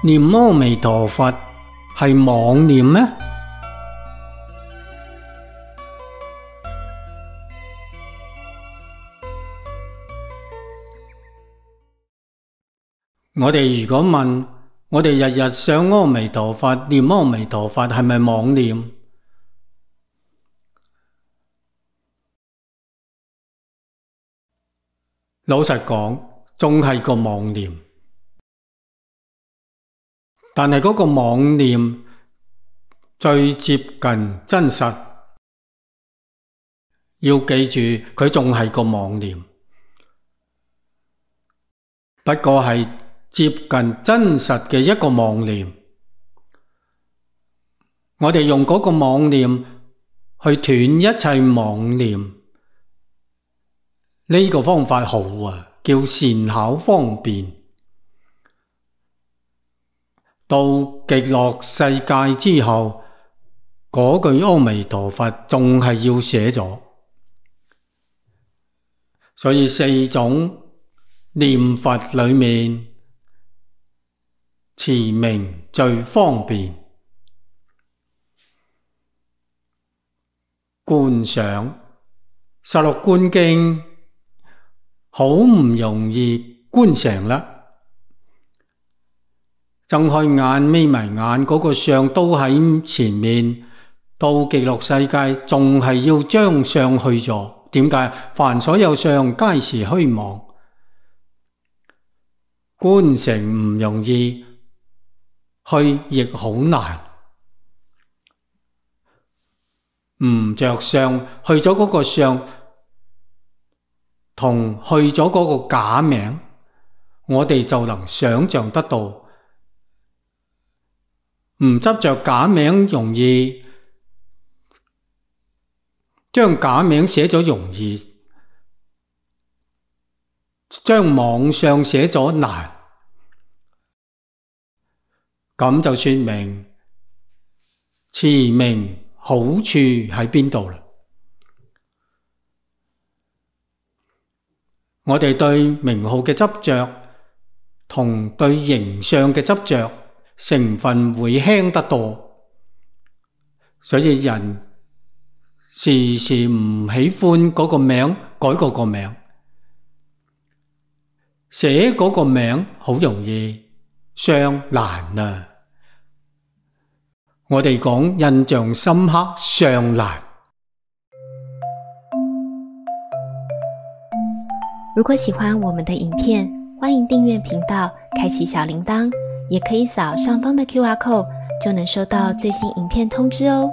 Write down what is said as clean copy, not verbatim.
念阿彌陀佛係妄念咩？我哋如果問我哋日日想阿彌陀佛，念阿彌陀佛係咪妄念？老實講，仲係個妄念。但係嗰個妄念最接近真實，要記住佢仲係個妄念，不過係接近真實嘅一個妄念。我哋用嗰個妄念去斷一切妄念，呢個方法好啊，叫善巧方便。到極樂世界之後，嗰句阿彌陀佛仲係要寫咗，所以四種念佛裏面，持名最方便。觀想十六觀經好唔容易觀成啦。睜開眼眯埋眼，嗰個相都喺前面，到極樂世界仲係要將相去咗。點解？凡所有相皆是虛妄，觀成唔容易，去亦好難。唔着相，去咗嗰個相，同去咗嗰個假名，我哋就能想象得到。唔執着假名容易，將假名寫咗容易，將妄相寫咗難。咁就說明持名好處喺邊度啦？我哋對名號嘅執着同對形象嘅執着成分會輕得多，所以人時時唔喜歡嗰個名，改嗰個名，寫嗰個名好容易，相難啊！我哋講印象深刻，相難。如果喜歡我們的影片，歡迎訂閱頻道，開啟小鈴鐺，也可以掃上方的QR code，就能收到最新影片通知哦。